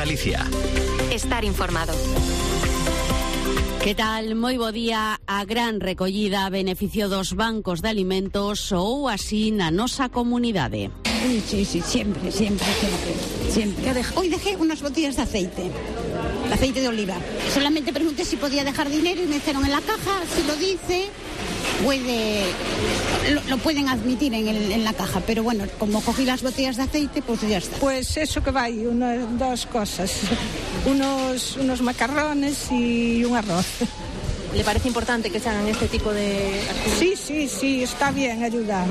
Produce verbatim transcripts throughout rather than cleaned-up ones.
Galicia. Estar informado. Que tal? Moi bo día. A gran recollida a beneficio dos bancos de alimentos ou así na nosa comunidade. Sí, sí, sí, siempre, siempre, siempre, siempre. Hoy dejé unas botellas de aceite, de aceite de oliva. Solamente pregunté si podía dejar dinero y me dijeron en la caja, si lo dice, puede, lo, lo pueden admitir en, el, en la caja. Pero bueno, como cogí las botellas de aceite, pues ya está. Pues eso que vai, una, dos cosas, unos, unos macarrones y un arroz. ¿Le parece importante que se hagan este tipo de actividades? Sí, sí, sí, está bien ayudar.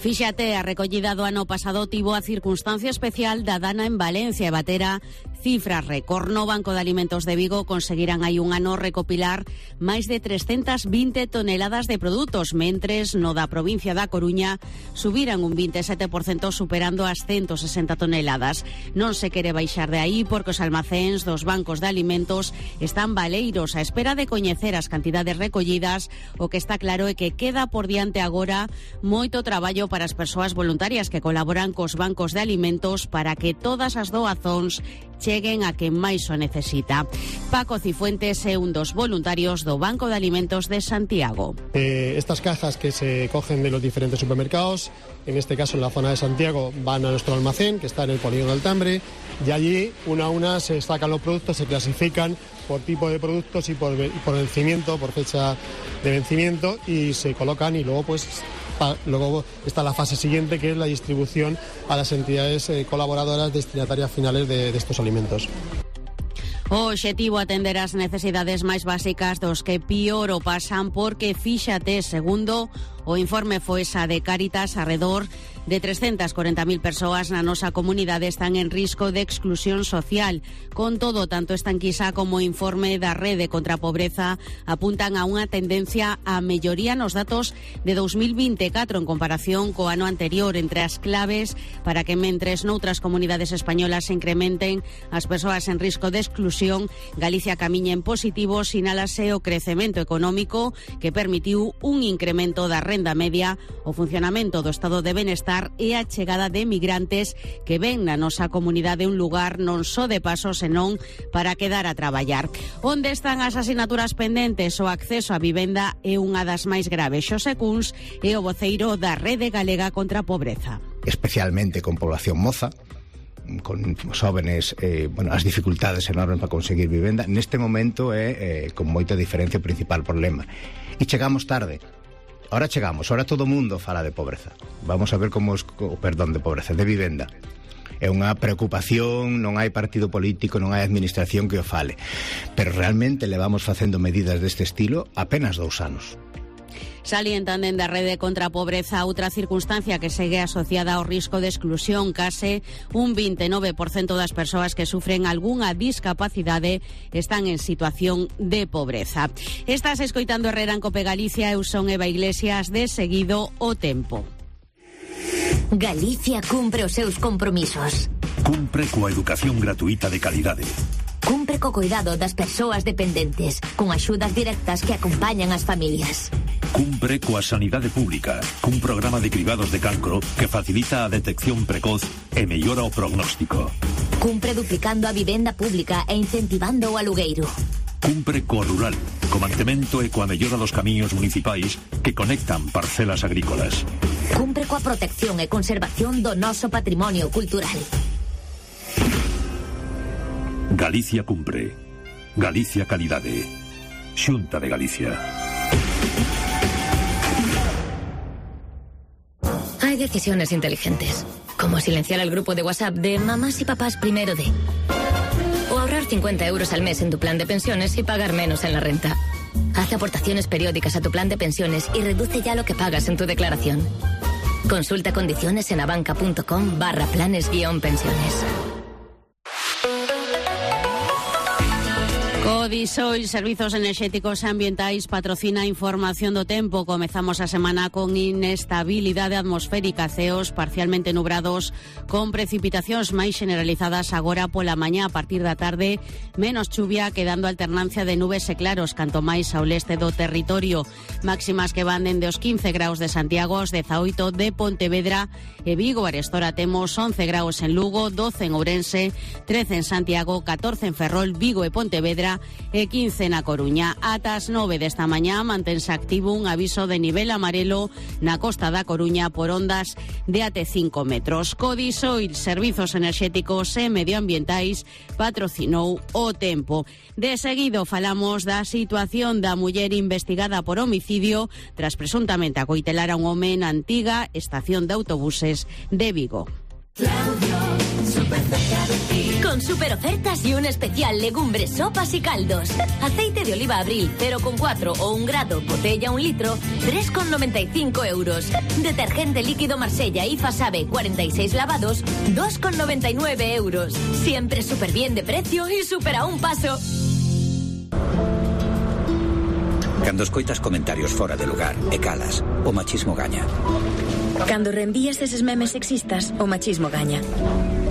Fíxate, a recollida do ano pasado tivo a circunstancia especial da dana en Valencia e batera cifras récord. No Banco de Alimentos de Vigo conseguirán hai un ano recopilar máis de trescentas vinte toneladas de produtos, mentres no da provincia da Coruña subiran un veintisiete por cento superando as ciento sesenta toneladas. Non se quere baixar de aí porque os almacéns dos bancos de alimentos están baleiros á espera de coñecer as cantidades recollidas. O que está claro é que queda por diante agora moito traballo para as persoas voluntarias que colaboran cos bancos de alimentos para que todas as doazóns cheguen a quen máis o necesita. Paco Cifuentes é un dos voluntarios do Banco de Alimentos de Santiago. Eh, estas cajas que se cogen de los diferentes supermercados, en este caso en la zona de Santiago, van a nuestro almacén, que está en el Polígono Altambre, y allí, una a una, se sacan los productos, se clasifican por tipo de productos y por, y por vencimiento, por fecha de vencimiento, y se colocan y luego pues pa, luego está la fase siguiente, que es la distribución a las entidades eh, colaboradoras destinatarias finales de, de estos alimentos. O obxectivo atender as necesidades máis básicas dos que pior o pasan, porque fíxate, segundo o informe Foesa de Cáritas, arredor de trescentas corenta mil persoas na nosa comunidade están en risco de exclusión social. Con todo, tanto esta enquisa como o informe da Rede contra a Pobreza apuntan a unha tendencia a melloría nos datos de dos mil veinticuatro en comparación co ano anterior. Entre as claves para que mentres noutras comunidades españolas se incrementen as persoas en risco de exclusión, Galicia camiña en positivo, sinálase o crecemento económico que permitiu un incremento da renda media, o funcionamento do estado de benestar e a chegada de migrantes que ven na nosa comunidade un lugar non só de paso, senón para quedar a traballar. Onde están as asignaturas pendentes? O acceso á vivenda é unha das máis graves. Xosé Cuns é o voceiro da Rede Galega contra a Pobreza. Especialmente con población moza, con os jóvenes, eh, bueno, as dificultades enormes para conseguir vivenda. Neste momento é, eh, con moita diferencia, o principal problema. E chegamos tarde. Ahora chegamos, ahora todo o mundo fala de pobreza. Vamos a ver como os, perdón, de pobreza, de vivenda. É unha preocupación, non hai partido político, non hai administración que o fale. Pero realmente levamos facendo medidas deste estilo apenas dous anos. Salientan dende a Rede contra a Pobreza outra circunstancia que segue asociada ao risco de exclusión. Case un veintinueve por cento das persoas que sufren algunha discapacidade están en situación de pobreza. Estás escoitando Herrera en Cope Galicia. Eu son Eva Iglesias. De seguido, o tempo. Galicia cumpre os seus compromisos. Cumpre coa educación gratuita de calidade. Cumpre co cuidado das persoas dependentes, con axudas directas que acompañan as familias. Cumpre coa sanidade pública, cun programa de cribados de cancro que facilita a detección precoz e mellora o prognóstico. Cumpre duplicando a vivenda pública e incentivando o alugueiro. Cumpre co rural, co mantemento e coa mellora dos camiños municipais que conectan parcelas agrícolas. Cumpre coa protección e conservación do noso patrimonio cultural. Galicia cumpre. Galicia calidade. Xunta de Galicia. Hay decisiones inteligentes, como silenciar el grupo de WhatsApp de mamás y papás primero de... O ahorrar cincuenta euros al mes en tu plan de pensiones y pagar menos en la renta. Haz aportaciones periódicas a tu plan de pensiones y reduce ya lo que pagas en tu declaración. Consulta condiciones en abanca.com barra planes guión pensiones. Codisoil, Servizos Enerxéticos e Ambientais, patrocina Información do Tempo. Comezamos a semana con inestabilidade atmosférica, ceos parcialmente nubrados, con precipitacións máis generalizadas agora pola mañá. A partir da tarde, menos chuvia, quedando alternancia de nubes e claros, canto máis ao leste do territorio. Máximas que van dende os quince graus de Santiago aos dezaoito de Pontevedra e Vigo. Arestora temos once graus en Lugo, doce en Ourense, trece en Santiago, catorce en Ferrol, Vigo e Pontevedra e quince na Coruña. Ata as nove desta mañá mantense activo un aviso de nivel amarelo na costa da Coruña por ondas de até cinco metros. Codisoil, Servizos Enerxéticos e Medioambientais, patrocinou o tempo. De seguido falamos da situación da muller investigada por homicidio tras presuntamente acoitelar a un home na antiga estación de autobuses de Vigo. Claudio, super cerca de ti. Con super ofertas y un especial legumbres, sopas y caldos. Aceite de oliva Abril cero coma cuatro o un grado, botella un litro, tres coma noventa y cinco euros. Detergente líquido Marsella y Fasabe, cuarenta y seis lavados, dos coma noventa y nueve euros. Siempre súper bien de precio y súper a un paso. Cando escoitas comentarios fora de lugar e calas, o machismo gaña. Cando reenvías eses memes sexistas, o machismo gaña.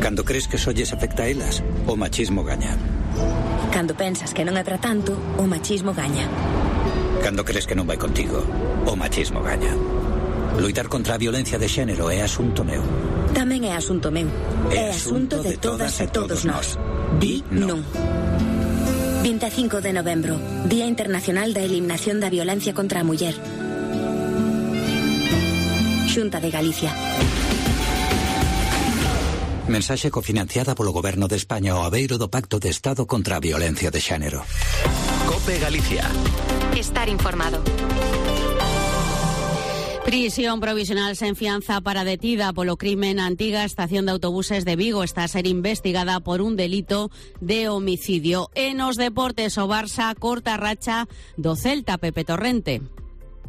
Cando crees que só lles afecta a elas, o machismo gaña. Cando pensas que non é para tanto, o machismo gaña. Cando crees que non vai contigo, o machismo gaña. Luitar contra a violencia de xénero é asunto meu. Tamén é asunto meu. É, é asunto de todas e todos nós. Di non. vinte e cinco de novembro, Día Internacional da Eliminación da Violencia contra a Muller. Xunta de Galicia. Mensaxe cofinanciada polo Goberno de España ao abeiro do Pacto de Estado contra a Violencia de Xénero. COPE Galicia. Estar informado. Prisión provisional sen fianza para detida polo crime na antiga estación de autobuses de Vigo. Está a ser investigada por un delito de homicidio. E nos deportes, o Barça corta a racha do Celta, Pepe Torrente.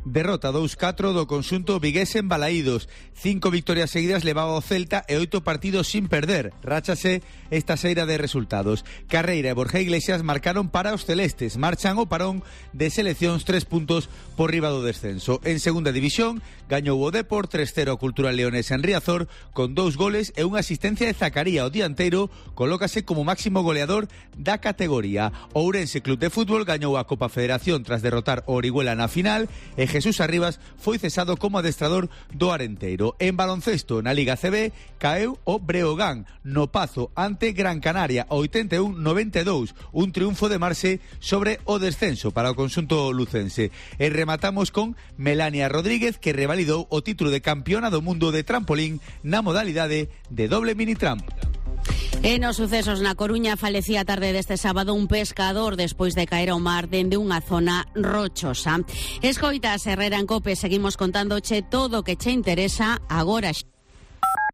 Derrota dous catro do conxunto vigués en Balaídos. Cinco victorias seguidas levaba o Celta e oito partidos sin perder. Ráchase esta seira de resultados. Carreira e Borja Iglesias marcaron para os celestes. Marchan o parón de seleccións tres puntos por riba do descenso. En segunda división, gañou o Depor tres cero Cultural Leones en Riazor con dous goles e unha asistencia de Zacaría. O dianteiro colócase como máximo goleador da categoría. O Ourense Club de Fútbol gañou a Copa Federación tras derrotar o Orihuela na final e Jesús Arribas foi cesado como adestrador do Arenteiro. En baloncesto, na Liga C B, caeu o Breogán no Pazo ante Gran Canaria, oitenta e un a noventa e dous, un triunfo de Marse sobre o descenso para o conxunto lucense. E rematamos con Melania Rodríguez, que revalidou o título de campeona do mundo de trampolín na modalidade de doble mini tramp. E nos sucesos na Coruña, falecía a tarde deste sábado un pescador despois de caer ao mar dende unha zona rochosa. Escoitas, Herrera en COPE, seguimos contándoche todo o que che interesa agora.